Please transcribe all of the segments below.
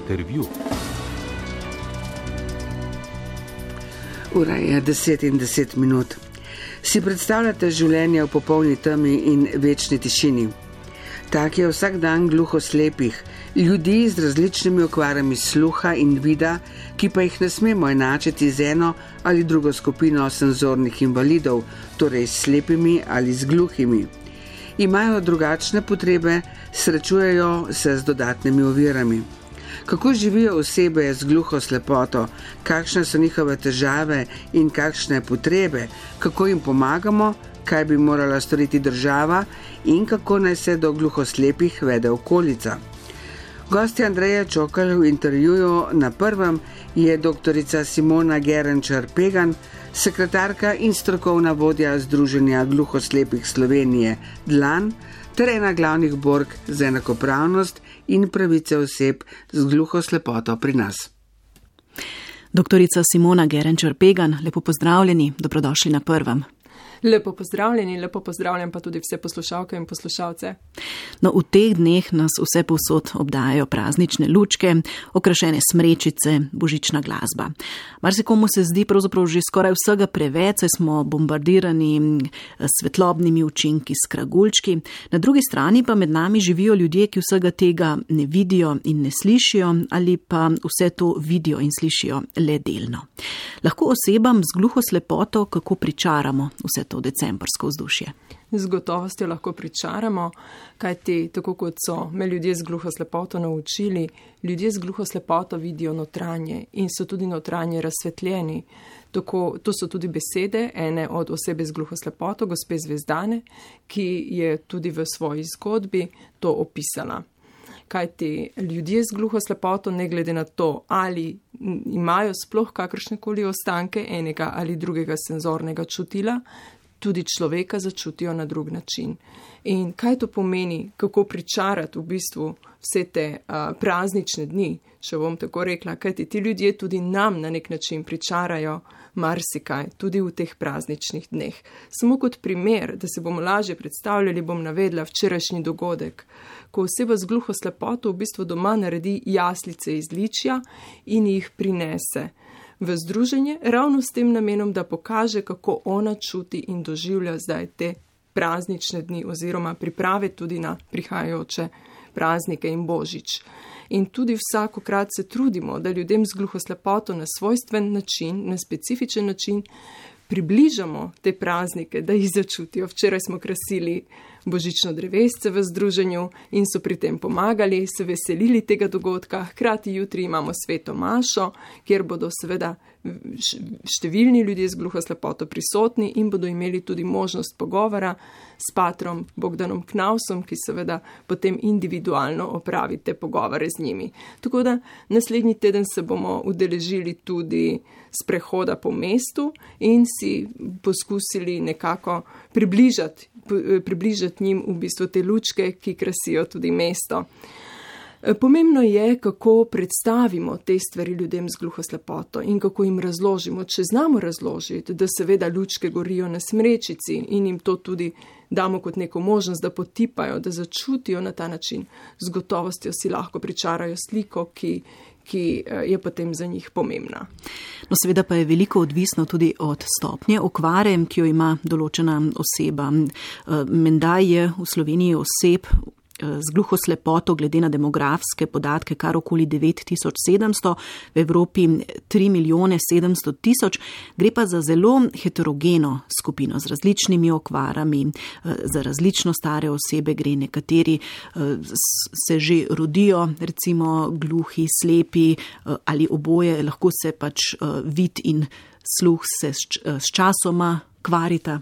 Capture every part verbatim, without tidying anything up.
Intervju. Ura je deset in deset minut. Si predstavljate življenje v popolni temi in večni tišini? Tak je vsak dan gluhoslepih, ljudi z različnimi okvarami sluha in vida, ki pa jih ne smemo enačiti z eno ali drugo skupino senzornih invalidov, torej s slepimi ali z gluhimi. Imajo drugačne potrebe, srečujejo se z dodatnimi ovirami. Kako živijo osebe z gluhoslepoto, kakšne so njihove težave in kakšne potrebe, kako jim pomagamo, kaj bi morala storiti država in kako naj se do gluhoslepih vede okolica. Gostja Andreja Čokl v intervjuju na prvem je doktorica Simona Gerenčar-Pegan, sekretarka in strokovna vodja Združenja gluhoslepih Slovenije Dlan, ter ena glavnih bork za enakopravnost in pravice oseb z gluhoslepoto pri nas. Doktorica Simona Gerenčar-Pegan, lepo pozdravljeni, dobrodošli na prvem. Lepo pozdravljeni, lepo pozdravljam pa tudi vse poslušalke in poslušalce. No, v teh dneh nas vse povsod obdajajo praznične lučke, okrašene smrečice, božična glasba. Marsikomu se zdi pravzaprav že skoraj vsega preveč, saj smo bombardirani svetlobnimi učinki s kragulčki. Na drugi strani pa med nami živijo ljudje, ki vsega tega ne vidijo in ne slišijo, ali pa vse to vidijo in slišijo le delno. Lahko osebam z gluhoslepoto kako pričaramo vse to decembrsko vzdušje? Z gotovostjo lahko pričaramo, kajti tako kot so me ljudje z gluhoslepoto naučili, ljudje z gluhoslepoto vidijo notranje in so tudi notranje razsvetljeni. Tako, to so tudi besede ene od osebe z gluhoslepoto, gospe Zvezdane, ki je tudi v svoji zgodbi to opisala. Kajti ljudje z gluhoslepoto, ne glede na to, ali imajo sploh kakršnekoli ostanke enega ali drugega senzornega čutila, tudi človeka začutijo na drug način. In kaj to pomeni, kako pričarati v bistvu vse te uh, praznične dni, če bom tako rekla, kajti ti ljudje tudi nam na nek način pričarajo marsikaj, tudi v teh prazničnih dneh. Samo kot primer, da se bomo lažje predstavljali, bom navedla včerajšnji dogodek, ko oseba z gluhoslepoto v bistvu doma naredi jaslice iz ličja in jih prinese v združenje, ravno s tem namenom, da pokaže, kako ona čuti in doživlja zdaj te praznične dni oziroma priprave tudi na prihajajoče praznike in božič. In tudi vsakokrat se trudimo, da ljudem z gluhoslepoto na svojstven način, na specifičen način približamo te praznike, da jih začutijo. Včeraj smo krasili božično drevesce v združenju in so pri tem pomagali, se veselili tega dogodka. Hkrati jutri imamo sveto mašo, kjer bodo seveda številni ljudje z gluhoslepoto prisotni in bodo imeli tudi možnost pogovora s patrom Bogdanom Knausom, ki seveda potem individualno opravi te pogovore z njimi. Tako da naslednji teden se bomo udeležili tudi sprehoda po mestu in si poskusili nekako približati, približati njim v bistvu te lučke, ki krasijo tudi mesto. Pomembno je, kako predstavimo te stvari ljudem z gluhoslepoto in kako jim razložimo. Če znamo razložiti, da seveda lučke gorijo na smrečici in jim to tudi damo kot neko možnost, da potipajo, da začutijo na ta način, z gotovostjo si lahko pričarajo sliko, ki, ki je potem za njih pomembna. No, seveda pa je veliko odvisno tudi od stopnje okvare, ki jo ima določena oseba. Menda je v Sloveniji oseb z gluhoslepoto glede na demografske podatke kar okoli devet tisoč sedemsto, v Evropi tri milijone sedemsto tisoč, gre pa za zelo heterogeno skupino z različnimi okvarami, za različno stare osebe gre, nekateri se že rodijo, recimo gluhi, slepi ali oboje, lahko se pač vid in sluh se s časoma kvarita.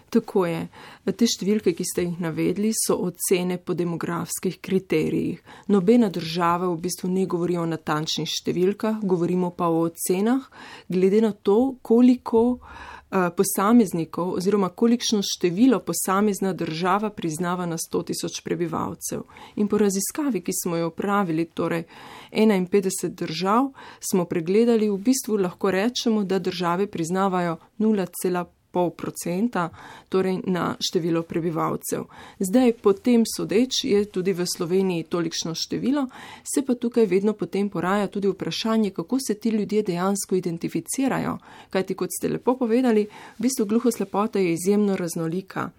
Tako je. Te številke, ki ste jih navedli, so ocene po demografskih kriterijih. Nobena država v bistvu ne govori o natančnih številkah, govorimo pa o ocenah, glede na to, koliko uh, posameznikov oziroma kolikšno število posamezna država priznava na sto tisoč prebivalcev. In po raziskavi, ki smo jo opravili, torej enainpetdeset držav, smo pregledali, v bistvu lahko rečemo, da države priznavajo nula cela pol procenta, torej na število prebivalcev. Zdaj, potem sodeč je tudi v Sloveniji tolikšno število, se pa tukaj vedno potem poraja tudi vprašanje, kako se ti ljudje dejansko identificirajo. Kajti, kot ste lepo povedali, v bistvu gluhoslepota je izjemno raznolika.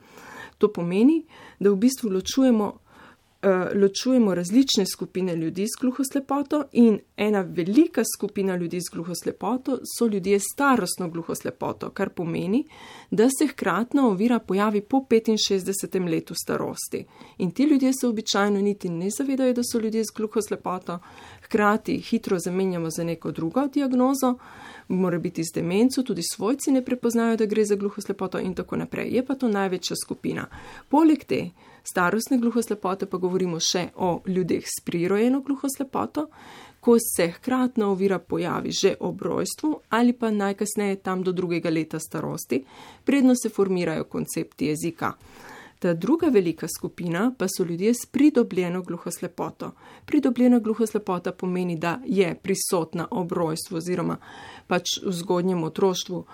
To pomeni, da v bistvu ločujemo ločujemo različne skupine ljudi s gluhoslepoto in ena velika skupina ljudi s gluhoslepoto so ljudje s starostno gluhoslepoto, kar pomeni, da se hkratna ovira pojavi po petinšestdesetem letu starosti. In ti ljudje se običajno niti ne zavedajo, da so ljudje s gluhoslepoto, hkrati hitro zamenjamo za neko drugo diagnozo, mora biti z demenco, tudi svojci ne prepoznajo, da gre za gluhoslepoto in tako naprej. Je pa to največja skupina. Poleg te starostne gluhoslepote pa govorimo še o ljudeh s prirojeno gluhoslepoto, ko se hkratna ovira pojavi že ob rojstvu ali pa najkasneje tam do drugega leta starosti, predno se formirajo koncepti jezika. Ta druga velika skupina pa so ljudje s pridobljeno gluhoslepoto. Pridobljena gluhoslepota pomeni, da je prisotna ob rojstvu oziroma pač v zgodnjem otroštvu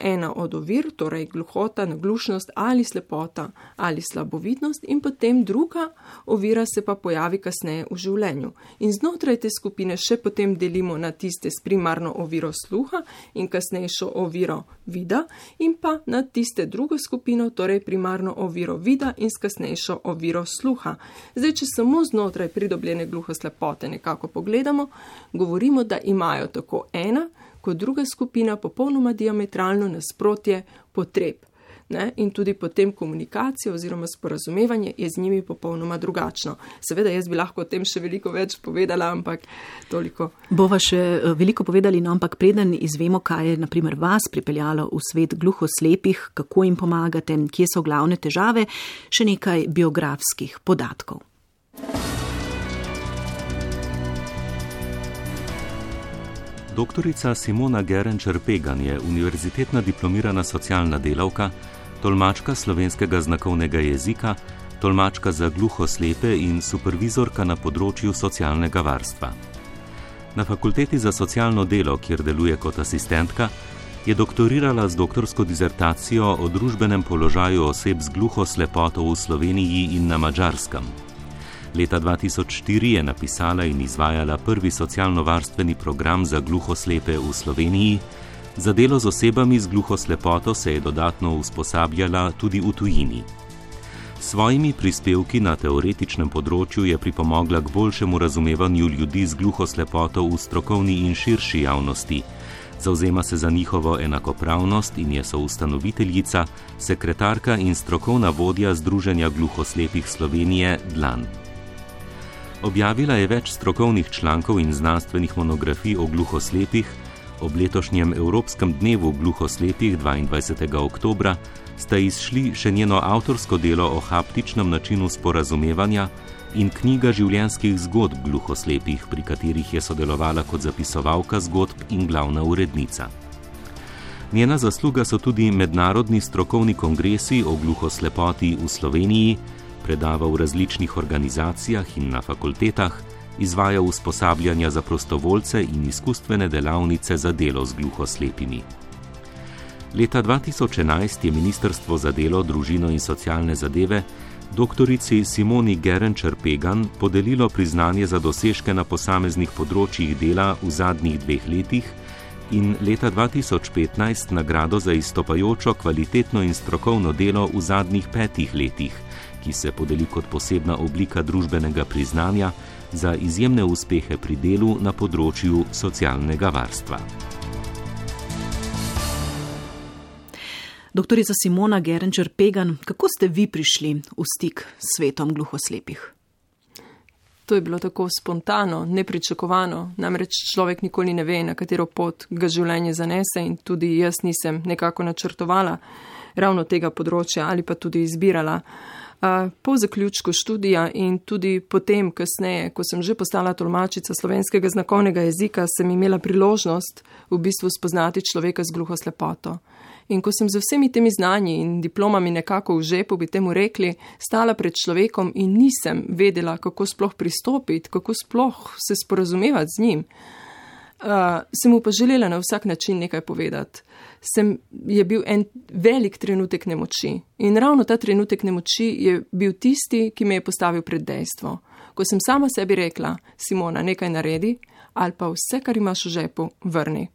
ena od ovir, torej gluhota, naglušnost ali slepota ali slabovidnost in potem druga ovira se pa pojavi kasneje v življenju. In znotraj te skupine še potem delimo na tiste s primarno oviro sluha in kasnejšo oviro vida in pa na tiste drugo skupino, torej primarno oviro vida in s kasnejšo oviro sluha. Zdaj, če samo znotraj pridobljene gluhoslepote nekako pogledamo, govorimo, da imajo tako ena kot druga skupina popolnoma diametralno nasprotje potreb. Ne? In tudi potem komunikacija oziroma sporazumevanje je z njimi popolnoma drugačno. Seveda, jaz bi lahko o tem še veliko več povedala, ampak toliko. Bova še veliko povedali, no, ampak preden izvemo, kaj je naprimer vas pripeljalo v svet gluhoslepih, kako jim pomagate, kje so glavne težave, še nekaj biografskih podatkov. Doktorica Simona Gerenčar-Pegan je univerzitetna diplomirana socialna delavka, tolmačka slovenskega znakovnega jezika, tolmačka za gluhoslepe in supervizorka na področju socialnega varstva. Na Fakulteti za socialno delo, kjer deluje kot asistentka, je doktorirala z doktorsko dizertacijo o družbenem položaju oseb z gluhoslepoto v Sloveniji in na Madžarskem. Leta dva tisoč štiri je napisala in izvajala prvi socialno-varstveni program za gluhoslepe v Sloveniji. Za delo z osebami z gluhoslepoto se je dodatno usposabljala tudi v tujini. S svojimi prispevki na teoretičnem področju je pripomogla k boljšemu razumevanju ljudi z gluhoslepoto v strokovni in širši javnosti. Zavzema se za njihovo enakopravnost in je soustanoviteljica, sekretarka in strokovna vodja Združenja gluhoslepih Slovenije Dlan. Objavila je več strokovnih člankov in znanstvenih monografij o gluhoslepih. Ob letošnjem Evropskem dnevu gluhoslepih dvaindvajsetega oktobra sta izšli še njeno avtorsko delo o haptičnem načinu sporazumevanja in knjiga življenjskih zgodb gluhoslepih, pri katerih je sodelovala kot zapisovalka zgodb in glavna urednica. Njena zasluga so tudi mednarodni strokovni kongresi o gluhoslepoti v Sloveniji, predava v različnih organizacijah in na fakultetah, izvaja usposabljanja za prostovoljce in izkustvene delavnice za delo z gluhoslepimi. Leta dva tisoč enajst je Ministrstvo za delo, družino in socialne zadeve doktorici Simoni Gerenčar-Pegan podelilo priznanje za dosežke na posameznih področjih dela v zadnjih dveh letih in leta dva tisoč petnajst nagrado za izstopajočo kvalitetno in strokovno delo v zadnjih petih letih, ki se podeli kot posebna oblika družbenega priznanja za izjemne uspehe pri delu na področju socialnega varstva. Doktorica Simona Gerenčar-Pegan, kako ste vi prišli v stik s svetom gluhoslepih? To je bilo tako spontano, nepričakovano, namreč človek nikoli ne ve, na katero pot ga življenje zanese in tudi jaz nisem nekako načrtovala ravno tega področja ali pa tudi izbirala. Po zaključku študija in tudi potem kasneje, ko sem že postala tolmačica slovenskega znakovnega jezika, sem imela priložnost v bistvu spoznati človeka z gluhoslepoto. In ko sem z vsemi temi znanji in diplomami nekako v žepu, bi temu rekli, stala pred človekom in nisem vedela, kako sploh pristopiti, kako sploh se sporazumevati z njim. Uh, sem mu pa želela na vsak način nekaj povedati. Sem, je bil en velik trenutek nemoči in ravno ta trenutek nemoči je bil tisti, ki me je postavil pred dejstvo. Ko sem sama sebi rekla, Simona, nekaj naredi ali pa vse, kar imaš v žepu, vrni.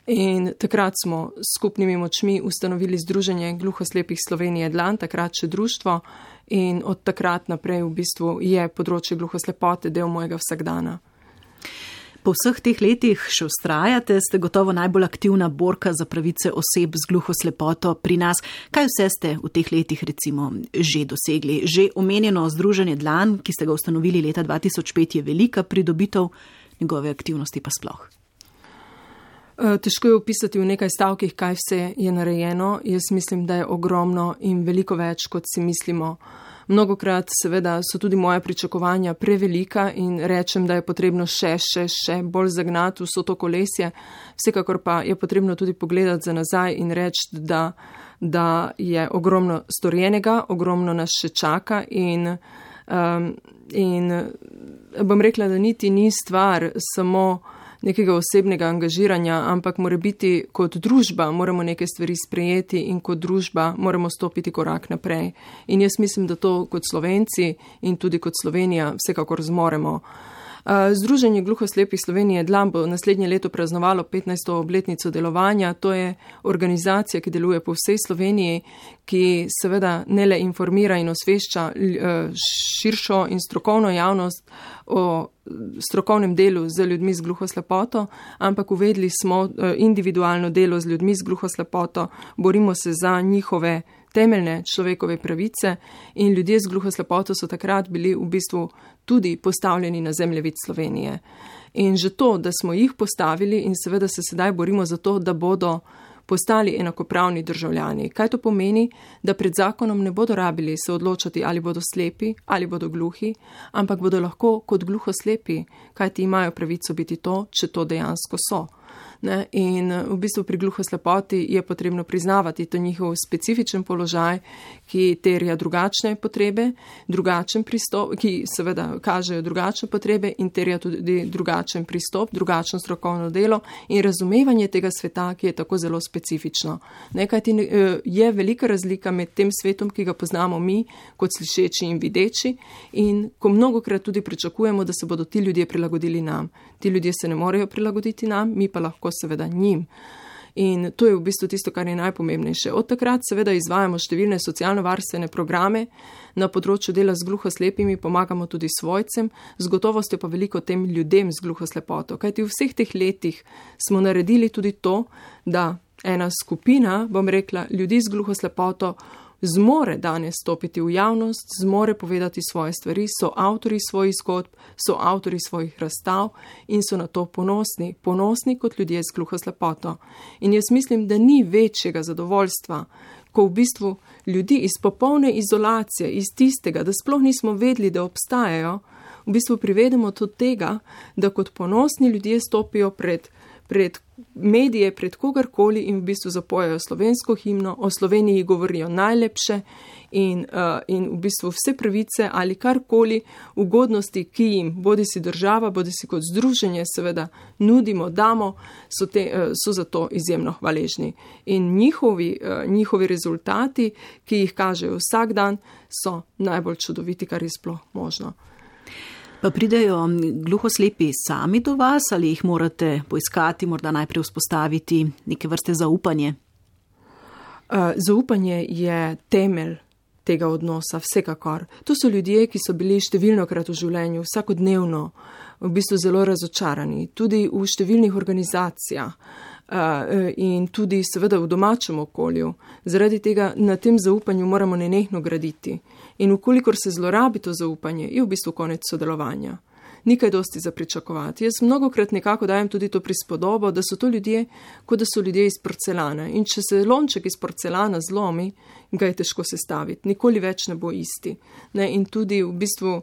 In takrat smo s skupnimi močmi ustanovili Združenje gluhoslepih Slovenije Dlan, takrat še društvo, in od takrat naprej v bistvu je področje gluhoslepote del mojega vsakdana. Po vseh teh letih še vztrajate, ste gotovo najbolj aktivna borka za pravice oseb z gluhoslepoto pri nas. Kaj vse ste v teh letih recimo že dosegli? Že omenjeno Združenje Dlan, ki ste ga ustanovili leta dva tisoč pet, je velika pridobitev, njegove aktivnosti pa sploh. Težko je opisati v nekaj stavkih, kaj vse je narejeno. Jaz mislim, da je ogromno in veliko več, kot si mislimo. Mnogokrat seveda so tudi moja pričakovanja prevelika in rečem, da je potrebno še, še, še bolj zagnati vso to kolesje. Vsekakor pa je potrebno tudi pogledati za nazaj in reči, da, da je ogromno storjenega, ogromno nas še čaka in, um, in bom rekla, da niti ni stvar samo nekega osebnega angažiranja, ampak mora biti kot družba, moramo neke stvari sprejeti in kot družba moramo stopiti korak naprej. In jaz mislim, da to kot Slovenci in tudi kot Slovenija vsekakor zmoremo. Združenje gluhoslepih Slovenije Dlan bo naslednje leto praznovalo petnajsto obletnico delovanja. To je organizacija, ki deluje po vsej Sloveniji, ki seveda ne le informira in osvešča širšo in strokovno javnost o strokovnem delu z ljudmi z gluhoslepoto, ampak uvedli smo individualno delo z ljudmi z gluhoslepoto, borimo se za njihove temeljne človekove pravice in ljudje z gluhoslepoto so takrat bili v bistvu tudi postavljeni na zemljevid Slovenije. In že to, da smo jih postavili in seveda se sedaj borimo za to, da bodo postali enakopravni državljani. Kaj to pomeni? Da pred zakonom ne bodo rabili se odločati, ali bodo slepi, ali bodo gluhi, ampak bodo lahko kot gluhoslepi, kajti imajo pravico biti to, če to dejansko so. Ne? In v bistvu pri gluhoslepoti je potrebno priznavati to njihov specifičen položaj, ki terja drugačne potrebe, drugačen pristop, ki seveda kažejo drugačne potrebe in terja tudi drugačen pristop, drugačno strokovno delo in razumevanje tega sveta, ki je tako zelo specifično. Nekaj je velika razlika med tem svetom, ki ga poznamo mi kot slišeči in videči in ko mnogokrat tudi pričakujemo, da se bodo ti ljudje prilagodili nam. Ti ljudje se ne morejo prilagoditi nam, mi pa lahko seveda njim. In to je v bistvu tisto, kar je najpomembnejše. Od takrat seveda izvajamo številne socialno-varstvene programe na področju dela z gluhoslepimi, pomagamo tudi svojcem, z gotovostjo pa veliko tem ljudem z gluhoslepoto. Kajti v vseh teh letih smo naredili tudi to, da ena skupina, bom rekla, ljudi z gluhoslepoto zmore danes stopiti v javnost, zmore povedati svoje stvari, so avtori svojih zgodb, so avtori svojih razstav in so na to ponosni, ponosni kot ljudje z gluhoslepoto. In jaz mislim, da ni večjega zadovoljstva, ko v bistvu ljudi iz popolne izolacije, iz tistega, da sploh nismo vedeli, da obstajajo, v bistvu privedemo do tega, da kot ponosni ljudje stopijo pred pred medije, pred kogarkoli in v bistvu zapojajo slovensko himno, o Sloveniji govorijo najlepše in, uh, in v bistvu vse pravice ali karkoli ugodnosti, ki jim bodi si država, bodi si kot združenje seveda nudimo, damo, so, te, uh, so za to izjemno hvaležni. In njihovi, uh, njihovi rezultati, ki jih kažejo vsak dan, so najbolj čudoviti, kar je sploh možno. Pa pridejo gluhoslepi sami do vas ali jih morate poiskati, morda najprej vzpostaviti neke vrste zaupanje? Zaupanje je temelj tega odnosa, vsekakor. To so ljudje, ki so bili številnokrat v življenju, vsakodnevno, v bistvu zelo razočarani, tudi v številnih organizacijah in tudi seveda v domačem okolju. Zaradi tega na tem zaupanju moramo nenehno graditi. In ukolikor se zlorabi to zaupanje, je v bistvu konec sodelovanja. Ni kaj dosti za pričakovati. Jaz mnogokrat nekako dajem tudi to prispodobo, da so to ljudje, kot da so ljudje iz porcelana. In če se lonček iz porcelana zlomi, ga je težko sestaviti. Nikoli več ne bo isti. Ne? In tudi v bistvu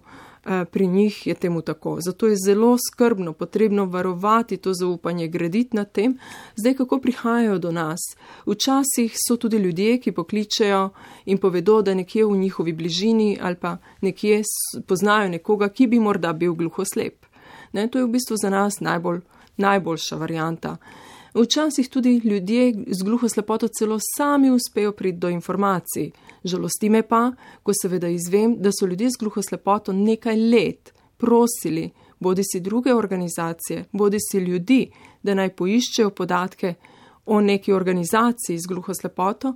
pri njih je temu tako. Zato je zelo skrbno potrebno varovati to zaupanje, graditi na tem. Zdaj, kako prihajajo do nas? Včasih so tudi ljudje, ki pokličejo in povedo, da nekje v njihovi bližini ali pa nekje poznajo nekoga, ki bi morda bil gluhoslep. Ne, to je v bistvu za nas najbolj, najboljša varianta. Včasih tudi ljudje z gluhoslepoto celo sami uspejo priti do informacij. Žalosti me pa, ko seveda izvem, da so ljudje z gluhoslepoto nekaj let prosili, bodi si druge organizacije, bodi si ljudi, da naj poiščejo podatke o neki organizaciji z gluhoslepoto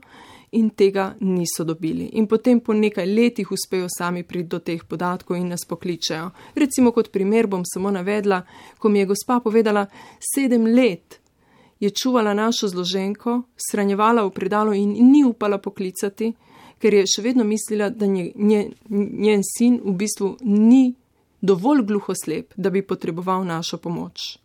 in tega niso dobili. In potem po nekaj letih uspejo sami priti do teh podatkov in nas pokličejo. Recimo kot primer bom samo navedla, ko mi je gospa povedala, sedem let je čuvala našo zloženko, shranjevala v predalu in ni upala poklicati, ker je še vedno mislila, da nje, nje, njen sin v bistvu ni dovolj gluhoslep, da bi potreboval našo pomoč.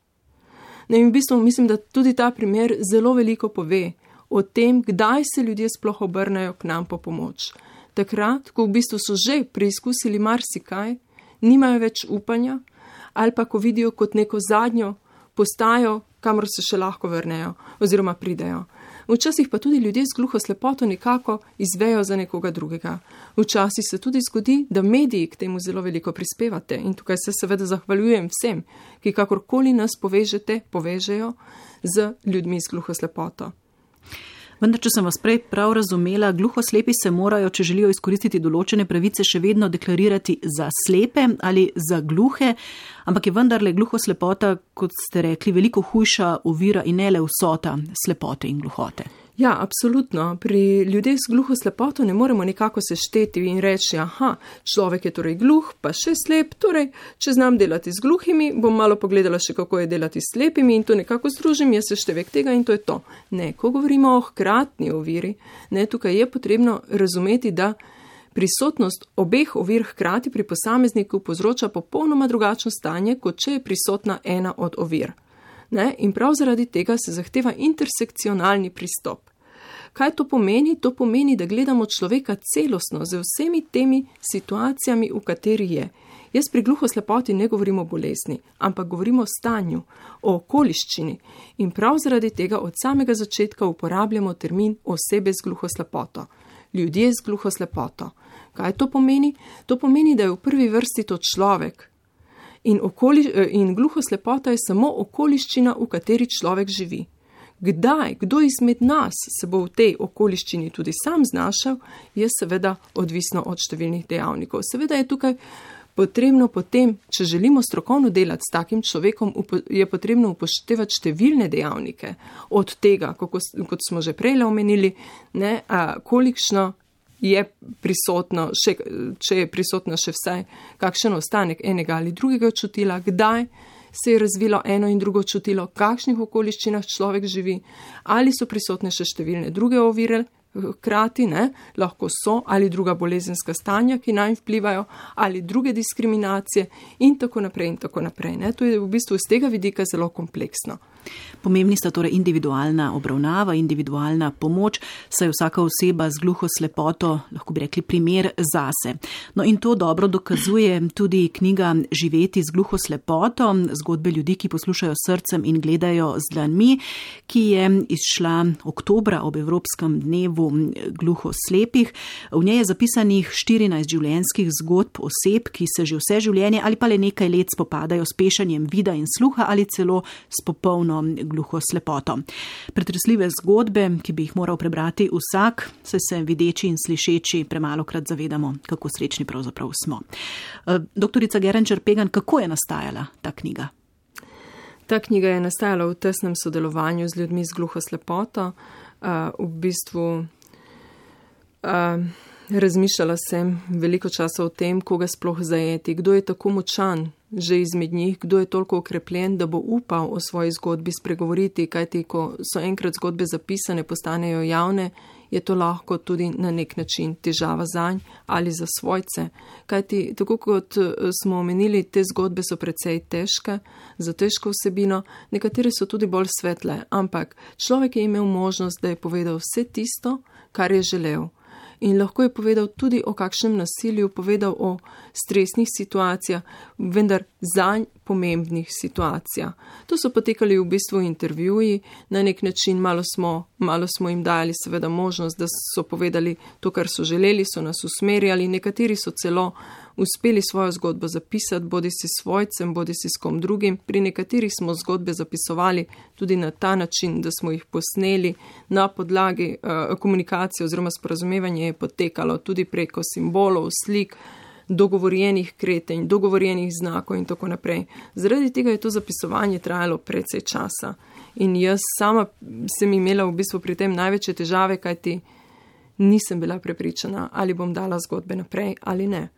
Ne, in v bistvu mislim, da tudi ta primer zelo veliko pove o tem, kdaj se ljudje sploh obrnejo k nam po pomoč. Takrat, ko v bistvu so že preizkusili marsikaj, nimajo več upanja, ali pa ko vidijo kot neko zadnjo postajo, kamor se še lahko vrnejo oziroma pridejo. Včasih pa tudi ljudje z gluhoslepoto nekako izvejo za nekoga drugega. Včasih se tudi zgodi, da mediji k temu zelo veliko prispevate in tukaj se seveda zahvaljujem vsem, ki kakorkoli nas povežete, povežejo z ljudmi z gluhoslepoto. Vendar, če sem vas prej prav razumela, gluhoslepi se morajo, če želijo izkoristiti določene pravice, še vedno deklarirati za slepe ali za gluhe, ampak je vendarle gluhoslepota, kot ste rekli, veliko hujša ovira in ne le vsota slepote in gluhote. Ja, absolutno. Pri ljudeh z gluhoslepoto ne moremo nekako sešteti in reči, aha, človek je torej gluh, pa še slep, torej, če znam delati z gluhimi, bom malo pogledala še, kako je delati s slepimi in to nekako združim, jaz seštevek tega in to je to. Ne, ko govorimo o hkratni oviri, ne, tukaj je potrebno razumeti, da prisotnost obeh ovir hkrati pri posamezniku povzroča popolnoma drugačno stanje, kot če je prisotna ena od ovir. Ne, in prav zaradi tega se zahteva intersekcionalni pristop. Kaj to pomeni? To pomeni, da gledamo človeka celostno z vsemi temi situacijami, v kateri je. Jaz pri gluhoslepoti ne govorim o bolezni, ampak govorim o stanju, o okoliščini. In prav zaradi tega od samega začetka uporabljamo termin osebe z gluhoslepoto. Ljudje z gluhoslepoto. Kaj to pomeni? To pomeni, da je v prvi vrsti to človek. In, okoli, in gluhoslepota je samo okoliščina, v kateri človek živi. Kdaj, kdo izmed nas se bo v tej okoliščini tudi sam znašel, je seveda odvisno od številnih dejavnikov. Seveda je tukaj potrebno potem, če želimo strokovno delati s takim človekom, je potrebno upoštevati številne dejavnike. Od tega, kako, kot smo že prej omenili, ne, a, kolikšno je prisotno, še, če je prisotno še vsaj kakšen ostanek enega ali drugega čutila, kdaj se je razvilo eno in drugo čutilo, v kakšnih okoliščinah človek živi, ali so prisotne še številne druge ovire, hkrati, ne, lahko so, ali druga bolezenska stanja, ki naj vplivajo, ali druge diskriminacije in tako naprej in tako naprej. Ne. To je v bistvu z tega vidika zelo kompleksno. Pomembni sta torej individualna obravnava, individualna pomoč, saj vsaka oseba z gluhoslepoto, lahko bi rekli, primer zase. No in to dobro dokazuje tudi knjiga Živeti z gluhoslepoto, zgodbe ljudi, ki poslušajo srcem in gledajo z dlanmi, ki je izšla oktobra ob Evropskem dnevu gluhoslepih. V njej je zapisanih štirinajst življenjskih zgodb oseb, ki se že vse življenje ali pa le nekaj let spopadajo s pešanjem vida in sluha ali celo s popolno gluhoslepoto. Pretresljive zgodbe, ki bi jih moral prebrati vsak, saj se videči in slišeči premalokrat zavedamo, kako srečni pravzaprav smo. Doktorica Gerenčar-Pegan, kako je nastajala ta knjiga? Ta knjiga je nastajala v tesnem sodelovanju z ljudmi z gluhoslepoto. V bistvu razmišljala sem veliko časa o tem, koga sploh zajeti, kdo je tako močan že izmed njih, kdo je toliko okrepljen, da bo upal o svoji zgodbi spregovoriti, kajti ko so enkrat zgodbe zapisane, postanejo javne, je to lahko tudi na nek način težava zanj ali za svojce. Kajti, tako kot smo omenili, te zgodbe so precej težke, za težko vsebino, nekatere so tudi bolj svetle, ampak človek je imel možnost, da je povedal vse tisto, kar je želel. In lahko je povedal tudi o kakšnem nasilju, povedal o stresnih situacijah, vendar zanj pomembnih situacijah. To so potekali v bistvu intervjuji, na nek način malo smo, malo smo jim dali seveda možnost, da so povedali to, kar so želeli, so nas usmerjali, nekateri so celo uspeli svojo zgodbo zapisati, bodi si svojcem, bodi si s kom drugim. Pri nekaterih smo zgodbe zapisovali tudi na ta način, da smo jih posneli na podlagi uh, komunikacije oziroma sporazumevanje je potekalo tudi preko simbolov, slik, dogovorjenih kretenj, dogovorjenih znakov in tako naprej. Zaradi tega je to zapisovanje trajalo precej časa. In jaz sama sem imela v bistvu pri tem največje težave, kajti nisem bila prepričana, ali bom dala zgodbe naprej ali ne.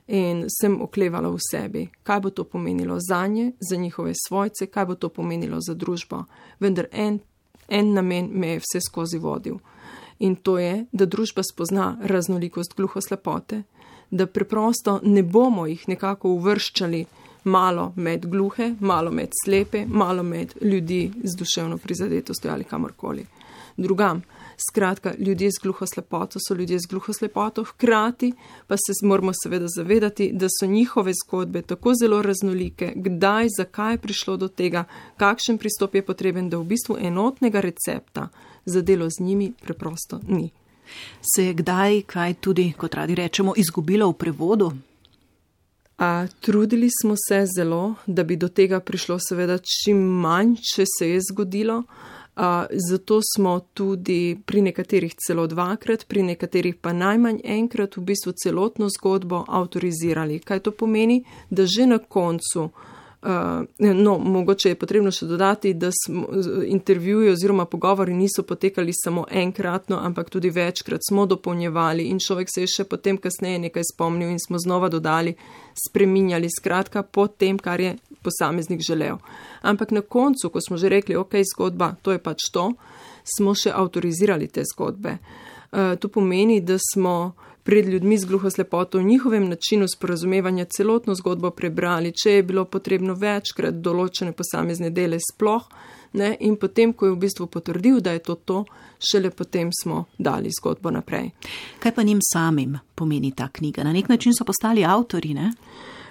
In sem oklevala v sebi, kaj bo to pomenilo zanje, za njihove svojce, kaj bo to pomenilo za družbo. Vendar en, en namen me je vse skozi vodil. In to je, da družba spozna raznolikost gluhoslepote, da preprosto ne bomo jih nekako uvrščali malo med gluhe, malo med slepe, malo med ljudi z duševno prizadetostjo ali kamorkoli drugam. Skratka, ljudje z gluhoslepoto so ljudje z gluhoslepoto, hkrati pa se moramo seveda zavedati, da so njihove zgodbe tako zelo raznolike, kdaj, zakaj je prišlo do tega, kakšen pristop je potreben, da v bistvu enotnega recepta za delo z njimi preprosto ni. Se je kdaj, kaj tudi, kot radi rečemo, izgubilo v prevodu? A, trudili smo se zelo, da bi do tega prišlo seveda čim manj, če se je zgodilo. A, zato smo tudi pri nekaterih celo dvakrat, pri nekaterih pa najmanj enkrat v bistvu celotno zgodbo avtorizirali. Kaj to pomeni? Da že na koncu, uh, no, mogoče je potrebno še dodati, da smo, intervjuji oziroma pogovori niso potekali samo enkratno, ampak tudi večkrat smo dopolnjevali in človek se je še potem kasneje nekaj spomnil in smo znova dodali, spreminjali, skratka po tem, kar je posameznik želel. Ampak na koncu, ko smo že rekli, ok, zgodba, to je pač to, smo še avtorizirali te zgodbe. Uh, to pomeni, da smo pred ljudmi z gluhoslepoto v njihovem načinu sporazumevanja celotno zgodbo prebrali, če je bilo potrebno večkrat določene posamezne dele sploh, ne, in potem, ko je v bistvu potrdil, da je to to, šele potem smo dali zgodbo naprej. Kaj pa njim samim pomeni ta knjiga? Na nek način so postali avtori, ne?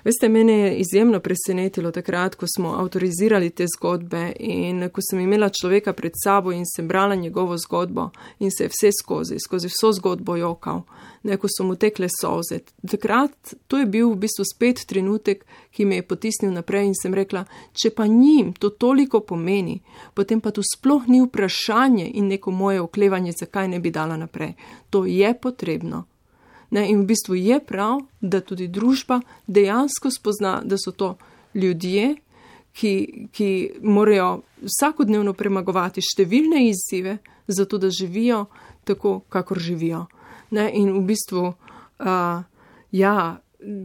Veste, mene je izjemno presenetilo takrat, ko smo avtorizirali te zgodbe in ko sem imela človeka pred sabo in sem brala njegovo zgodbo in se je vse skozi, skozi vso zgodbo jokal, ne, ko so mu tekle solze. Takrat, to je bil v bistvu spet trenutek, ki me je potisnil naprej in sem rekla, če pa njim to toliko pomeni, potem pa tu sploh ni vprašanje in neko moje oklevanje, zakaj ne bi dala naprej. To je potrebno. Ne, in v bistvu je prav, da tudi družba dejansko spozna, da so to ljudje, ki, ki morajo vsakodnevno premagovati številne izzive, zato da živijo tako, kakor živijo. Ne, in v bistvu, uh, ja,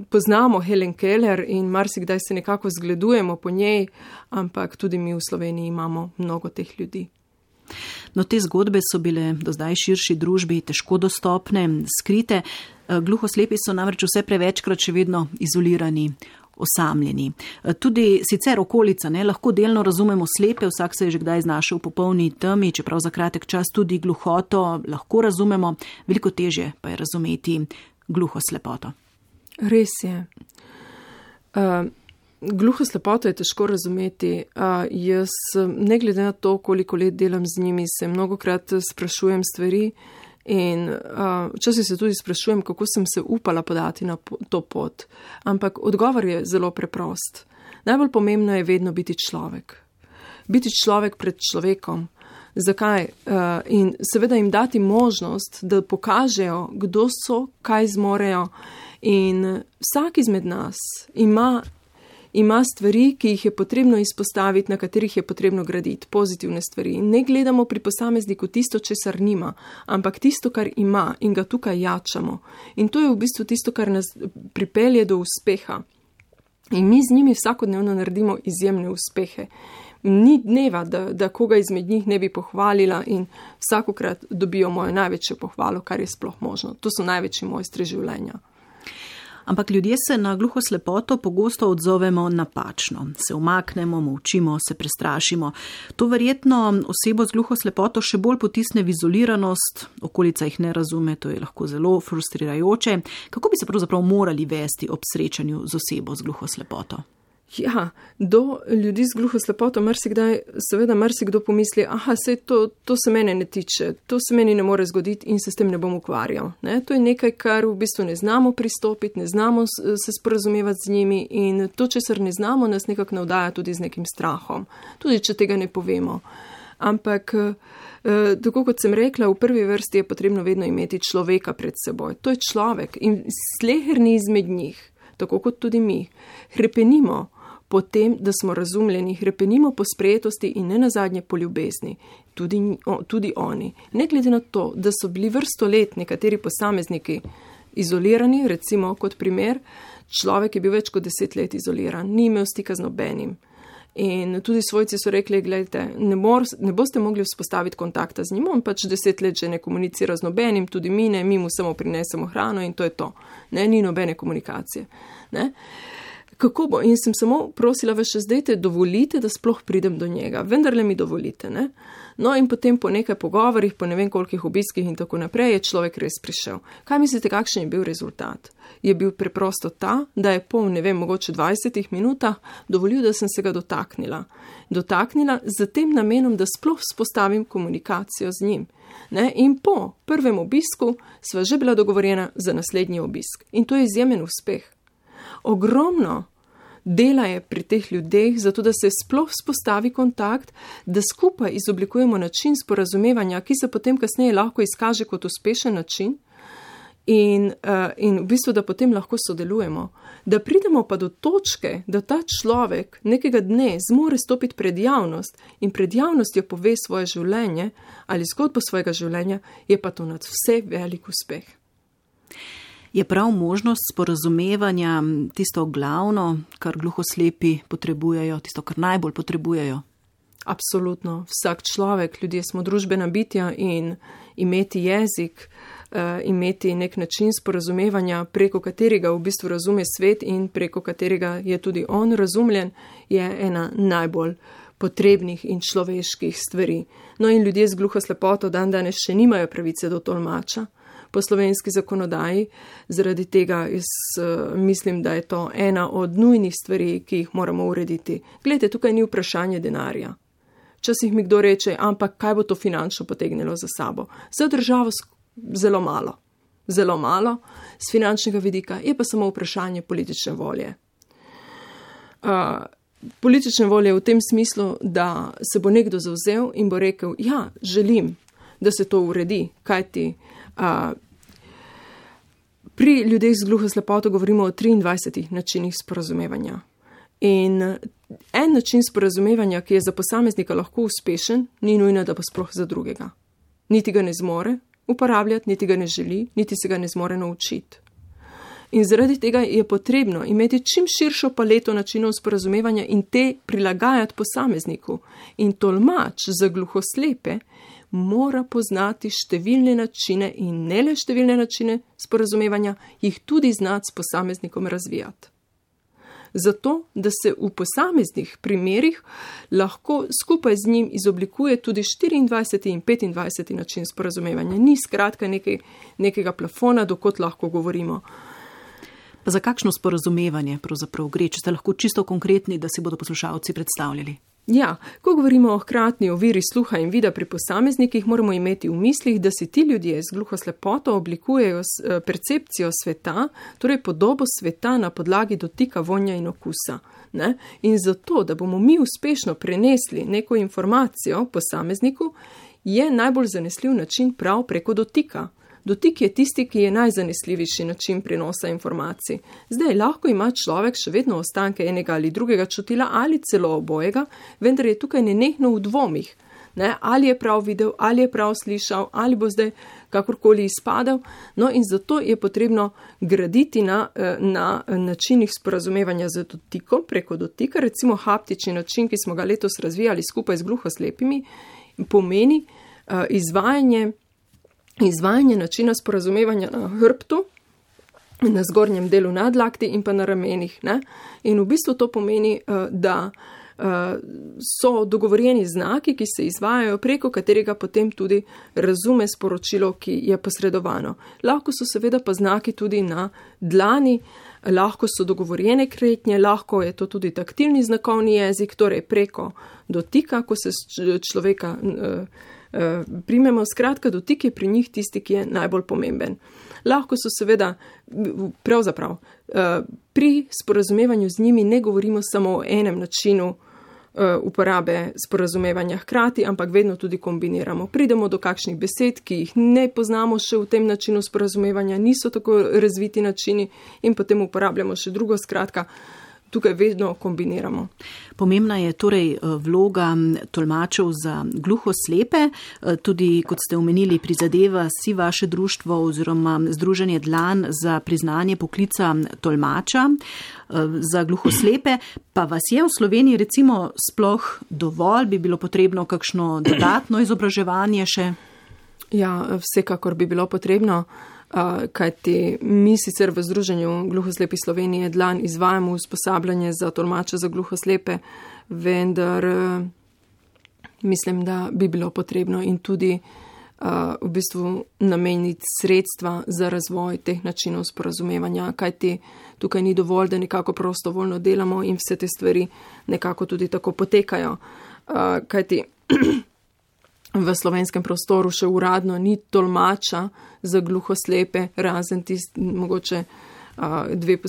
poznamo Helen Keller in marsikdaj se nekako zgledujemo po njej, ampak tudi mi v Sloveniji imamo mnogo teh ljudi. No, te zgodbe so bile do zdaj širši družbi težko dostopne, skrite. Gluhoslepi so namreč vse prevečkrat še vedno izolirani, osamljeni. Tudi sicer okolica, ne, lahko delno razumemo slepe, vsak se je že kdaj znašel v popolni temi, čeprav za kratek čas tudi gluhoto lahko razumemo, veliko težje pa je razumeti gluhoslepoto. Res je. Uh... Gluhoslepoto je težko razumeti. Uh, jaz, ne glede na to, koliko let delam z njimi, se mnogokrat sprašujem stvari in uh, včasih se tudi sprašujem, kako sem se upala podati na to pot. Ampak odgovor je zelo preprost. Najbolj pomembno je vedno biti človek. Biti človek pred človekom. Zakaj? Uh, in seveda jim dati možnost, da pokažejo, kdo so, kaj zmorejo. In vsak izmed nas ima ima stvari, ki jih je potrebno izpostaviti, na katerih je potrebno graditi, pozitivne stvari. Ne gledamo pri posamezniku tisto, česar nima, ampak tisto, kar ima in ga tukaj jačamo. In to je v bistvu tisto, kar nas pripelje do uspeha. In mi z njimi vsakodnevno naredimo izjemne uspehe. Ni dneva, da, da koga izmed njih ne bi pohvalila in vsakokrat dobijo mojo največjo pohvalo, kar je sploh možno. To so največji mojstri življenja. Ampak ljudje se na gluhoslepoto pogosto odzovemo napačno. Se umaknemo, molčimo, se prestrašimo. To verjetno osebo z gluhoslepoto še bolj potisne v izoliranost, okolica jih ne razume, to je lahko zelo frustrirajoče. Kako bi se pravzaprav morali vesti ob srečanju z osebo z gluhoslepoto? Ja, do ljudi z gluhoslepoto marsikdaj, seveda marsikdo pomisli, aha, sej to, to se mene ne tiče, to se meni ne more zgoditi in se s tem ne bom ukvarjal. Ne? To je nekaj, kar v bistvu ne znamo pristopiti, ne znamo se sporazumevati z njimi in to, česar ne znamo, nas nekako navdaja tudi z nekim strahom, tudi če tega ne povemo. Ampak, eh, tako kot sem rekla, v prvi vrsti je potrebno vedno imeti človeka pred seboj. To je človek in sleherni izmed njih, tako kot tudi mi, hrepenimo po tem, da smo razumljeni, hrepenimo po sprejetosti in ne nazadnje po ljubezni, tudi, tudi oni. Ne glede na to, da so bili vrsto let nekateri posamezniki izolirani, recimo kot primer, človek je bil več kot deset let izoliran, ni imel stika z nobenim. In tudi svojci so rekli, gledajte, ne, mor, ne boste mogli vzpostaviti kontakta z njim, on pač deset let že ne komunicira z nobenim, tudi mi ne, mi mu samo prinesemo hrano in to je to. Ne, ni nobene komunikacije. Ne. Kako bo? In sem samo prosila vas še zdaj, dovolite, da sploh pridem do njega. Vendarle mi dovolite, ne? No in potem po nekaj pogovorih, po ne vem kolikih obiskih in tako naprej, je človek res prišel. Kaj mislite, kakšen je bil rezultat? Je bil preprosto ta, da je po, ne vem, mogoče dvajsetih minutah dovolil, da sem se ga dotaknila. Dotaknila z tem namenom, da sploh vzpostavim komunikacijo z njim. Ne? In po prvem obisku sva že bila dogovorjena za naslednji obisk. In to je izjemen uspeh. Ogromno dela je pri teh ljudeh, zato da se sploh spostavi kontakt, da skupaj izoblikujemo način sporazumevanja, ki se potem kasneje lahko izkaže kot uspešen način in, uh, in v bistvu, da potem lahko sodelujemo. Da pridemo pa do točke, da ta človek nekega dne zmore stopiti pred javnost in pred javnostjo pove svoje življenje ali zgodbo svojega življenja, je pa to nad vse velik uspeh. Je prav možnost sporazumevanja tisto glavno, kar gluhoslepi potrebujejo, tisto, kar najbolj potrebujejo? Absolutno. Vsak človek, ljudje smo družbena bitja in imeti jezik, imeti nek način sporazumevanja, preko katerega v bistvu razume svet in preko katerega je tudi on razumljen, je ena najbolj potrebnih in človeških stvari. No in ljudje z gluhoslepoto dan danes še nimajo pravice do tolmača po slovenski zakonodaji, zaradi tega jaz uh, mislim, da je to ena od nujnih stvari, ki jih moramo urediti. Glejte, tukaj ni vprašanje denarja. Včasih mi kdo reče, ampak kaj bo to finančno potegnilo za sabo? Za državo zelo malo. Zelo malo z finančnega vidika, je pa samo vprašanje politične volje. Uh, politične volje v tem smislu, da se bo nekdo zavzel in bo rekel, ja, želim, da se to uredi, kajti Uh, pri ljudeh z gluhoslepoto govorimo o triindvajsetih načinih sporazumevanja. In en način sporazumevanja, ki je za posameznika lahko uspešen, ni nujno, da pa sploh za drugega. Niti ga ne zmore uporabljati, niti ga ne želi, niti se ga ne zmore naučiti. In zaradi tega je potrebno imeti čim širšo paleto načinov sporazumevanja in te prilagajati posamezniku. In tolmač za gluhoslepe mora poznati številne načine in ne le številne načine sporazumevanja, jih tudi znati s posameznikom razvijati. Zato, da se v posameznih primerih lahko skupaj z njim izoblikuje tudi štiriindvajseti in petindvajseti način sporazumevanja. Ni skratka nekaj, nekega plafona, dokot lahko govorimo. Pa za kakšno sporazumevanje pravzaprav gre, če ste lahko čisto konkretni, da si bodo poslušalci predstavljali? Ja, ko govorimo o hkratni oviri sluha in vida pri posameznikih, moramo imeti v mislih, da si ti ljudje z gluhoslepoto oblikujejo percepcijo sveta, torej podobo sveta na podlagi dotika, vonja in okusa. Ne? In zato, da bomo mi uspešno prenesli neko informacijo posamezniku, je najbolj zanesljiv način prav preko dotika. Dotik je tisti, ki je najzanesljivejši način prenosa informacij. Zdaj, lahko ima človek še vedno ostanke enega ali drugega čutila ali celo obojega, vendar je tukaj nenehno v dvomih. Ne? Ali je prav videl, ali je prav slišal, ali bo zdaj kakorkoli izpadel. No in zato je potrebno graditi na, na načinih sporazumevanja z dotikom, preko dotika. Recimo haptični način, ki smo ga letos razvijali skupaj z gluhoslepimi, pomeni uh, izvajanje Izvajanje načina sporazumevanja na hrbtu, na zgornjem delu nadlakti in pa na ramenih. Ne? In v bistvu to pomeni, da so dogovorjeni znaki, ki se izvajajo, preko katerega potem tudi razume sporočilo, ki je posredovano. Lahko so seveda pa znaki tudi na dlani, lahko so dogovorjene kretnje, lahko je to tudi taktilni znakovni jezik, torej preko dotika, ko se človeka uh, uh, primemo. Skratka, dotik je pri njih tisti, ki je najbolj pomemben. Lahko so seveda, pravzaprav, uh, pri sporazumevanju z njimi ne govorimo samo o enem načinu uporabe sporazumevanja hkrati, ampak vedno tudi kombiniramo. Pridemo do kakšnih besed, ki jih ne poznamo še v tem načinu sporazumevanja, niso tako razviti načini in potem uporabljamo še drugo, skratka, tukaj vedno kombiniramo. Pomembna je torej vloga tolmačev za gluhoslepe. Tudi, kot ste omenili, prizadeva si vaše društvo oziroma Združenje Dlan za priznanje poklica tolmača za gluhoslepe. Pa vas je v Sloveniji recimo sploh dovolj? Bi bilo potrebno kakšno dodatno izobraževanje še? Ja, vsekakor bi bilo potrebno. Uh, kajti mi sicer v Združenju gluhoslepih Slovenije Dlan izvajamo usposabljanje za tolmače za gluhoslepe, vendar uh, mislim, da bi bilo potrebno in tudi uh, v bistvu nameniti sredstva za razvoj teh načinov sporazumevanja, kajti tukaj ni dovolj, da nekako prostovoljno delamo in vse te stvari nekako tudi tako potekajo. Uh, kajti v slovenskem prostoru še uradno ni tolmača za gluhoslepe, razen tist, mogoče uh, dve,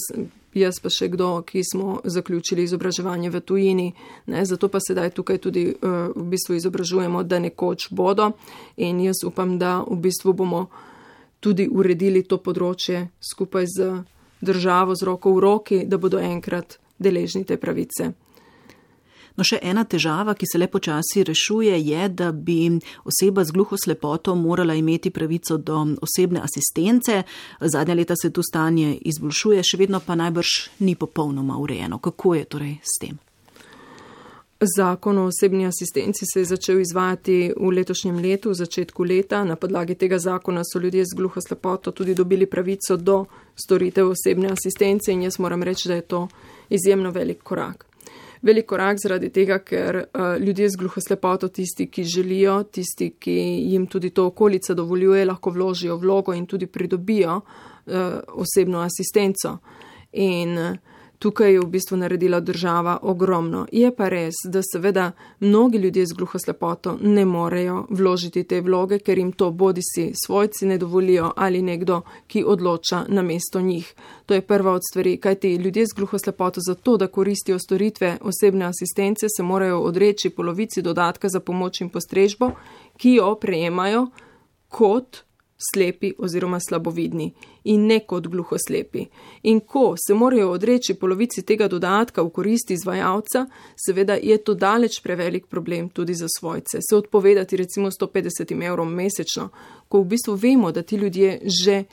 jaz pa še kdo, ki smo zaključili izobraževanje v tujini. Ne, zato pa sedaj tukaj tudi uh, v bistvu izobražujemo, da nekoč bodo in jaz upam, da v bistvu bomo tudi uredili to področje skupaj z državo, z roko v roki, da bodo enkrat deležni te pravice. No, še ena težava, ki se le počasi rešuje, je, da bi oseba z gluhoslepoto morala imeti pravico do osebne asistence. Zadnja leta se tu stanje izboljšuje, še vedno pa najbrž ni popolnoma urejeno. Kako je torej s tem? Zakon o osebni asistenci se je začel izvajati v letošnjem letu, v začetku leta. Na podlagi tega zakona so ljudje z gluhoslepoto tudi dobili pravico do storitev osebne asistence in jaz moram reči, da je to izjemno velik korak. Velik korak zaradi tega, ker uh, ljudje z gluhoslepoto, tisti, ki želijo, tisti, ki jim tudi to okolica dovoljuje, lahko vložijo vlogo in tudi pridobijo uh, osebno asistenco. In uh, tukaj je v bistvu naredila država ogromno. Je pa res, da seveda mnogi ljudje z gluhoslepoto ne morejo vložiti te vloge, ker jim to bodisi svojci ne dovolijo ali nekdo, ki odloča namesto njih. To je prva od stvari, kajti ljudje z gluhoslepoto za to, da koristijo storitve osebne asistence, se morajo odreči polovici dodatka za pomoč in postrežbo, ki jo prejemajo kot slepi oziroma slabovidni in ne kot gluhoslepi. In ko se morajo odreči polovici tega dodatka v koristi izvajalca, seveda je to daleč prevelik problem tudi za svojce. Se odpovedati recimo sto petdeset evrov mesečno, ko v bistvu vemo, da ti ljudje že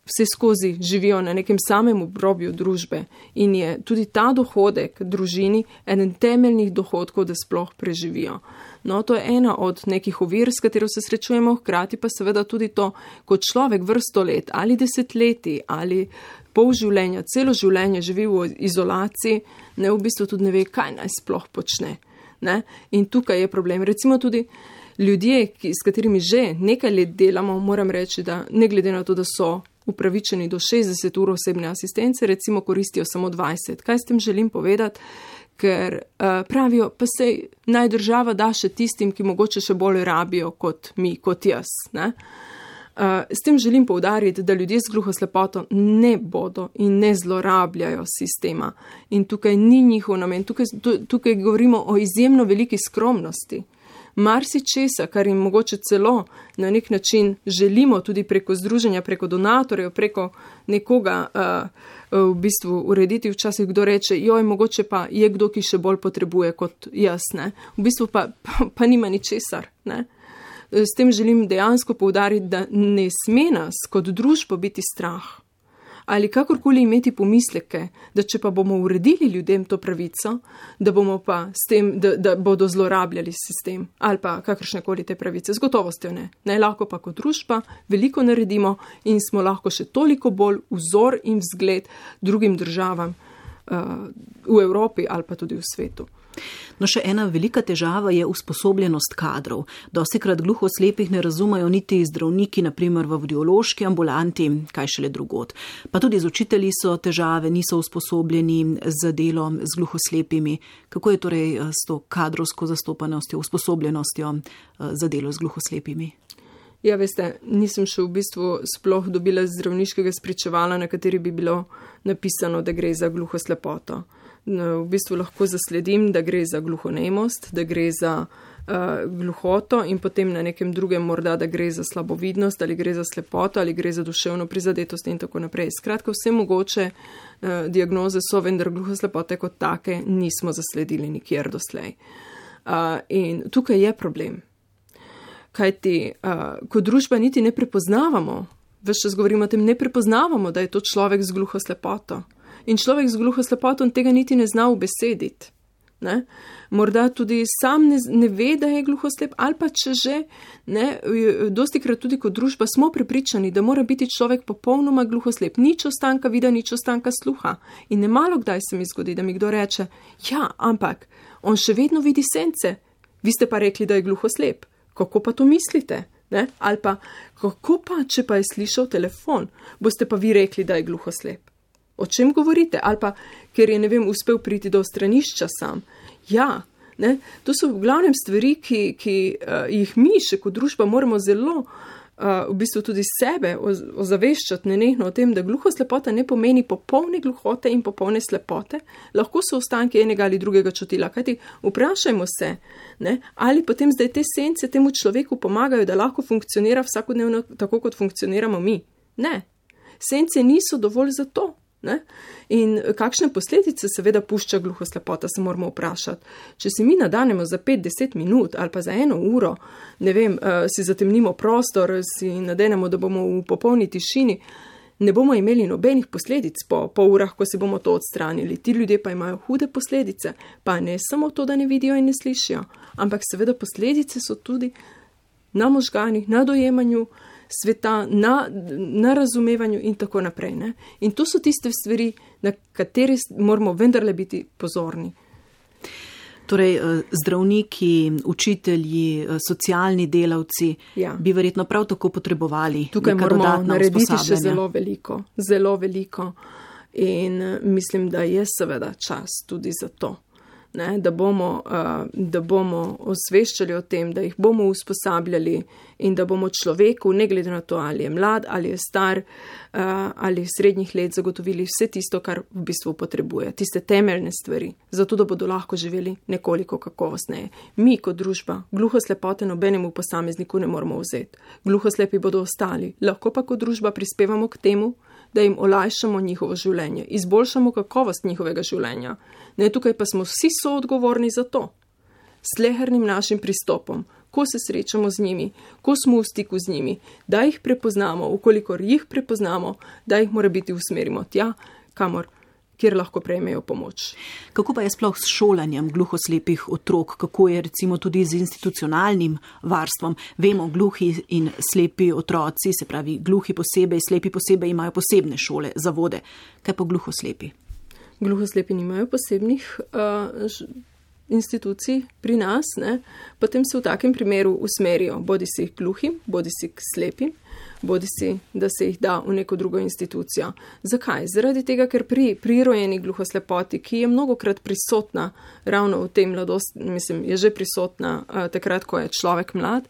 vse skozi živijo na nekem samem obrobju družbe in je tudi ta dohodek družini eden temeljnih dohodkov, da sploh preživijo. No, to je ena od nekih ovir, s katero se srečujemo, hkrati pa seveda tudi to, kot človek vrsto let ali desetletji ali pol življenja, celo življenje živi v izolaciji, ne v bistvu tudi ne ve, kaj naj sploh počne. Ne? In tukaj je problem. Recimo tudi ljudje, ki, s katerimi že nekaj let delamo, moram reči, da ne glede na to, da so upravičeni do šestdeset ur osebne asistence, recimo koristijo samo dvajset. Kaj s tem želim povedati? Ker uh, pravijo, pa sej naj država da še tistim, ki mogoče še bolj rabijo kot mi, kot jaz. Ne? Uh, s tem želim poudariti, da ljudje z gluhoslepoto ne bodo in ne zlorabljajo sistema. In tukaj ni njihov namen. Tukaj, tukaj govorimo o izjemno veliki skromnosti. Marsi česa, kar jim mogoče celo na nek način želimo tudi preko združenja, preko donatorjev, preko nekoga uh, v bistvu urediti. Včasih kdo reče, joj, mogoče pa je kdo, ki še bolj potrebuje kot jaz. Ne? V bistvu pa, pa, pa nima ničesar. Ne? S tem želim dejansko poudariti, da ne sme nas kot družbo biti strah ali kakorkoli imeti pomisleke, da če pa bomo uredili ljudem to pravico, da bomo pa s tem, da, da bodo zlorabljali sistem ali pa kakršnekoli te pravice. Z gotovostjo ne. Ne, lahko pa kot družba veliko naredimo in smo lahko še toliko bolj vzor in vzgled drugim državam uh, v Evropi ali pa tudi v svetu. No, še ena velika težava je usposobljenost kadrov. Dostikrat gluhoslepih ne razumejo niti zdravniki, naprimer v audiološki ambulanti, kaj šele drugod. Pa tudi z učitelji so težave, niso usposobljeni za delo z gluhoslepimi. Kako je torej s to kadrovsko zastopanostjo, usposobljenostjo za delo z gluhoslepimi? Ja, veste, nisem še v bistvu sploh dobila zdravniškega spričevala, na kateri bi bilo napisano, da gre za gluhoslepoto. V bistvu lahko zasledim, da gre za gluhonemost, da gre za uh, gluhoto in potem na nekem drugem morda, da gre za slabovidnost ali gre za slepoto ali gre za duševno prizadetost in tako naprej. Skratka, vse mogoče uh, diagnoze so, vendar gluhoslepote kot take nismo zasledili nikjer doslej. Uh, in tukaj je problem. Kajti, uh, kot družba niti ne prepoznavamo, ves čas govorimo o tem, ne prepoznavamo, da je to človek z gluhoslepoto. In človek z gluhoslepotom tega niti ne zna ubesediti. Ne? Morda tudi sam ne, ne ve, da je gluhoslep, ali pa če že, ne, dostikrat tudi kot družba smo prepričani, da mora biti človek popolnoma gluhoslep. Nič ostanka vida, nič ostanka sluha. In ne malo kdaj se mi zgodi, da mi kdo reče, ja, ampak on še vedno vidi sence. Vi ste pa rekli, da je gluhoslep. Kako pa to mislite? Ne? Ali pa, kako pa, če pa je slišal telefon, boste pa vi rekli, da je gluhoslep? O čem govorite? Ali pa, ker je, ne vem, uspel priti do stranišča sam. Ja, ne? To so v glavnem stvari, ki, ki uh, jih mi še kot družba moramo zelo uh, v bistvu tudi sebe ozaveščati nenehno o tem, da gluhoslepota ne pomeni popolne gluhote in popolne slepote, lahko so ostanki enega ali drugega čutila. Kajti vprašajmo se, ne? Ali potem zdaj te sence temu človeku pomagajo, da lahko funkcionira vsakodnevno tako, kot funkcioniramo mi. Ne, sence niso dovolj za to. Ne? In kakšne posledice seveda pušča gluhoslepota, se moramo vprašati. Če si mi nadanemo za pet do deset minut ali pa za eno uro, ne vem, uh, si zatemnimo prostor, si nadenemo, da bomo v popolni tišini, ne bomo imeli nobenih posledic po, po urah, ko si bomo to odstranili. Ti ljudje pa imajo hude posledice, pa ne samo to, da ne vidijo in ne slišijo, ampak seveda posledice so tudi na možganih, na dojemanju sveta, na, na razumevanju in tako naprej. Ne? In to so tiste stvari, na katere moramo vendarle biti pozorni. Torej, zdravniki, učitelji, socialni delavci ja. Bi verjetno prav tako potrebovali. Tukaj moramo narediti še zelo veliko, zelo veliko in mislim, da je seveda čas tudi za to. Ne, da bomo, uh, da bomo osveščali o tem, da jih bomo usposabljali in da bomo človeku, ne glede na to, ali je mlad, ali je star, uh, ali srednjih let, zagotovili vse tisto, kar v bistvu potrebuje, tiste temeljne stvari, zato da bodo lahko živeli nekoliko kakovostneje. Mi kot družba gluhoslepote nobenemu posamezniku ne moramo vzeti. Gluhoslepi bodo ostali, lahko pa kot družba prispevamo k temu, da jim olajšamo njihovo življenje, izboljšamo kakovost njihovega življenja. Ne, tukaj pa smo vsi soodgovorni za to. Slehernim našim pristopom, ko se srečamo z njimi, ko smo v stiku z njimi, da jih prepoznamo, ukolikor jih prepoznamo, da jih mora biti usmerimo tja, kamor, kjer lahko prejmejo pomoč. Kako pa je sploh s šolanjem gluhoslepih otrok? Kako je recimo tudi z institucionalnim varstvom? Vemo, gluhi in slepi otroci, se pravi gluhi posebej, slepi posebej, imajo posebne šole, zavode. Kaj pa gluhoslepi? Gluhoslepi nimajo posebnih uh, institucij pri nas, ne? Potem se v takem primeru usmerijo bodi si gluhim, bodi si k slepim, bodi si, da se jih da v neko drugo institucijo. Zakaj? Zaradi tega, ker pri prirojeni gluhoslepoti, ki je mnogokrat prisotna ravno v tem mladosti, mislim, je že prisotna uh, takrat, ko je človek mlad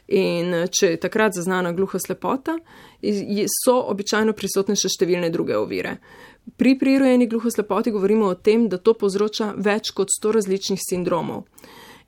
in če je takrat zaznana gluhoslepota, so običajno prisotne še številne druge ovire. Pri prirojeni gluhoslepoti govorimo o tem, da to povzroča več kot sto različnih sindromov.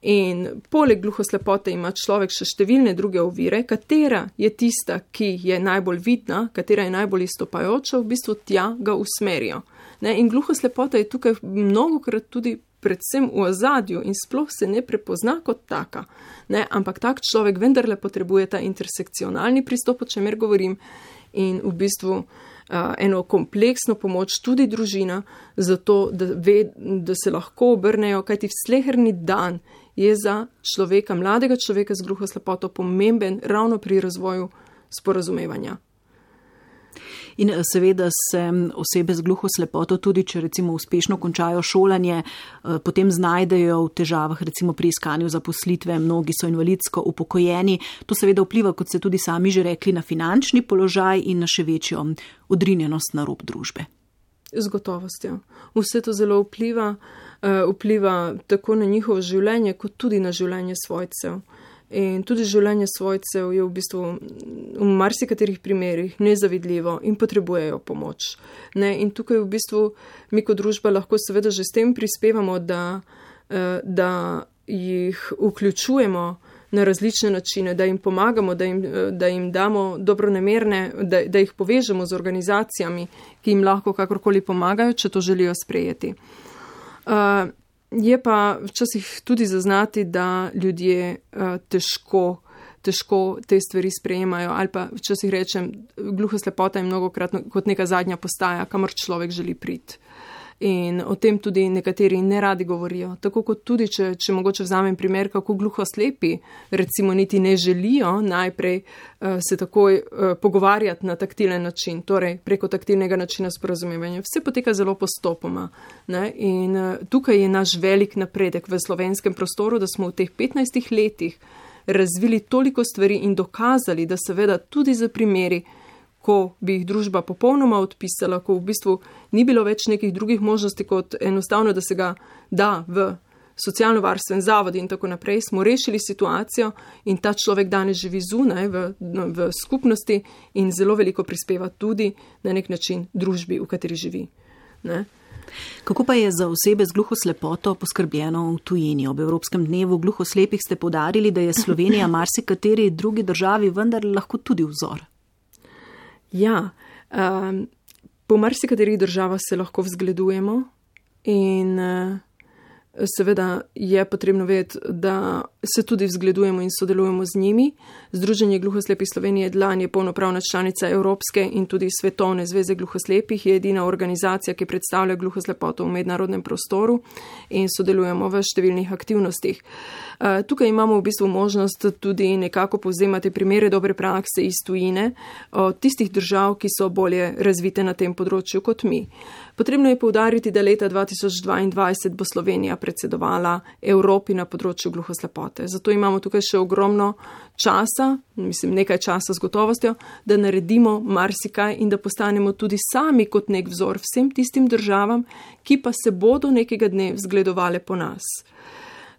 In poleg gluhoslepote ima človek še številne druge ovire, katera je tista, ki je najbolj vidna, katera je najbolj izstopajoča, v bistvu tja ga usmerijo. Ne? In gluhoslepota je tukaj mnogokrat tudi predvsem v ozadju in sploh se ne prepozna kot taka. Ne? Ampak tak človek vendarle potrebuje ta intersekcionalni pristop, o čemer govorim, in v bistvu uh, eno kompleksno pomoč tudi družina, zato da, ve, da se lahko obrnejo, kajti sleherni dan je za človeka, mladega človeka z gluhoslepoto pomemben ravno pri razvoju sporazumevanja. In seveda se osebe z gluhoslepoto tudi, če recimo uspešno končajo šolanje, potem znajdejo v težavah recimo pri iskanju zaposlitve, mnogi so invalidsko upokojeni. To seveda vpliva, kot ste tudi sami že rekli, na finančni položaj in na še večjo odrinjenost na rob družbe. Z gotovostjo. Vse to zelo vpliva, vpliva tako na njihovo življenje, kot tudi na življenje svojcev. In tudi življenje svojcev je v bistvu v marsikaterih primerih nezavidljivo in potrebujejo pomoč. Ne? In tukaj v bistvu mi kot družba lahko seveda že s tem prispevamo, da, da jih vključujemo na različne načine, da jim pomagamo, da jim, da jim damo dobronamerne, da, da jih povežemo z organizacijami, ki jim lahko kakorkoli pomagajo, če to želijo sprejeti. Uh, Je pa včasih tudi zaznati, da ljudje uh, težko, težko te stvari sprejemajo ali pa včasih rečem, gluhoslepota je mnogokrat kot neka zadnja postaja, kamor človek želi priti. In o tem tudi nekateri ne radi govorijo. Tako kot tudi, če, če mogoče vzamem primer, kako gluhoslepi recimo niti ne želijo najprej uh, se takoj uh, pogovarjati na taktilen način, torej preko taktilnega načina sporazumevanja. Vse poteka zelo postopoma. Ne? In uh, tukaj je naš velik napredek v slovenskem prostoru, da smo v teh petnajstih letih razvili toliko stvari in dokazali, da seveda tudi za primeri, ko bi jih družba popolnoma odpisala, ko v bistvu ni bilo več nekih drugih možnosti, kot enostavno, da se ga da v socialno-varstven zavod in tako naprej, smo rešili situacijo in ta človek danes živi zunaj v, v skupnosti in zelo veliko prispeva tudi na nek način družbi, v kateri živi. Ne? Kako pa je za osebe z gluhoslepoto poskrbljeno v tujini? Ob Evropskem dnevu gluhoslepih ste poudarili, da je Slovenija marsikateri drugi državi vendar lahko tudi vzor. Ja, um, po marsikaterih državah se lahko vzgledujemo in uh, seveda je potrebno vedeti, da se tudi vzgledujemo in sodelujemo z njimi. Združenje gluhoslepih Slovenije Dlan je polnopravna članica Evropske in tudi Svetovne zveze gluhoslepih, je edina organizacija, ki predstavlja gluhoslepoto v mednarodnem prostoru in sodelujemo v številnih aktivnostih. Tukaj imamo v bistvu možnost tudi nekako povzemati primere dobre prakse iz tujine od tistih držav, ki so bolje razvite na tem področju kot mi. Potrebno je poudariti, da leta dva tisoč dvaindvajset bo Slovenija predsedovala Evropi na področju gluhoslepote. Zato imamo tukaj še ogromno časa, mislim nekaj časa z gotovostjo, da naredimo marsikaj in da postanemo tudi sami kot nek vzor vsem tistim državam, ki pa se bodo nekega dne vzgledovale po nas.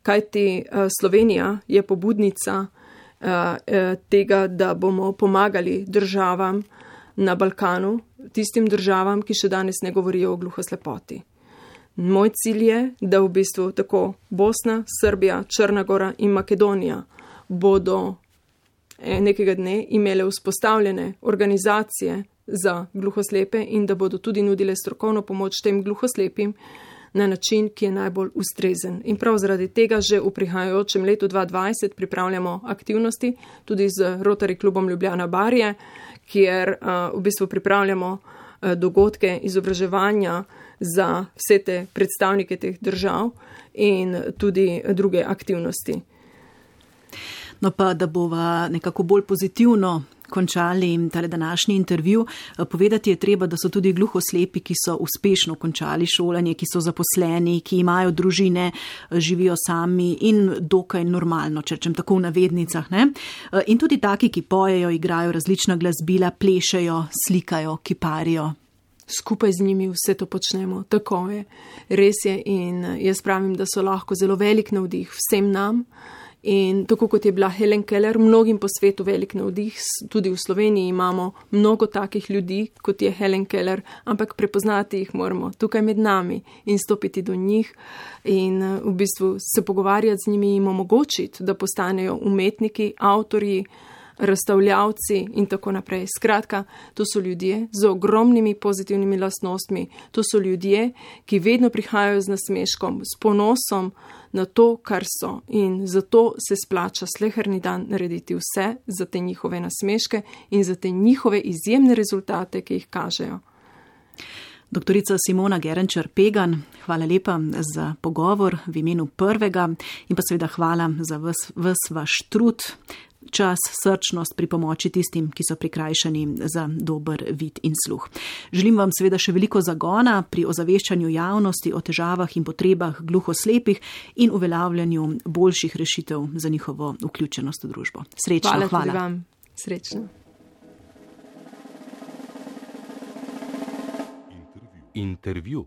Kajti Slovenija je pobudnica tega, da bomo pomagali državam na Balkanu, tistim državam, ki še danes ne govorijo o gluhoslepoti. Moj cilj je, da v bistvu tako Bosna, Srbija, Črna Gora in Makedonija bodo nekega dne imele vzpostavljene organizacije za gluhoslepe in da bodo tudi nudile strokovno pomoč tem gluhoslepim na način, ki je najbolj ustrezen. In prav zaradi tega že v prihajajočem letu dva tisoč dvajset pripravljamo aktivnosti tudi z Rotary klubom Ljubljana Barje, kjer uh, v bistvu pripravljamo uh, dogodke izobraževanja za vse te predstavnike teh držav in tudi druge aktivnosti. No pa, da bova nekako bolj pozitivno končali tale današnji intervju, povedati je treba, da so tudi gluhoslepi, ki so uspešno končali šolanje, ki so zaposleni, ki imajo družine, živijo sami in dokaj normalno, če rečem tako v navednicah. Ne? In tudi taki, ki pojejo, igrajo različna glasbila, plešejo, slikajo, kiparijo. Skupaj z njimi vse to počnemo, tako je. Res je in jaz pravim, da so lahko zelo velik navdih vsem nam. In tako kot je bila Helen Keller, mnogim po svetu velik navdih, tudi v Sloveniji imamo mnogo takih ljudi, kot je Helen Keller, ampak prepoznati jih moramo tukaj med nami in stopiti do njih in v bistvu se pogovarjati z njimi in omogočiti, da postanejo umetniki, avtorji, razstavljavci in tako naprej. Skratka, to so ljudje z ogromnimi pozitivnimi lastnostmi, to so ljudje, ki vedno prihajajo z nasmeškom, s ponosom na to, kar so in zato se splača sleherni dan narediti vse za te njihove nasmeške in za te njihove izjemne rezultate, ki jih kažejo. Doktorica Simona Gerenčar-Pegan, hvala lepa za pogovor v imenu prvega in pa seveda hvala za ves, ves vaš trud, čas, srčnost pri pomoči tistim, ki so prikrajšani za dober vid in sluh. Želim vam seveda še veliko zagona pri ozaveščanju javnosti o težavah in potrebah gluhoslepih in uveljavljanju boljših rešitev za njihovo vključenost v družbo. Srečno, hvala. Hvala tudi vam. Srečno. Intervju.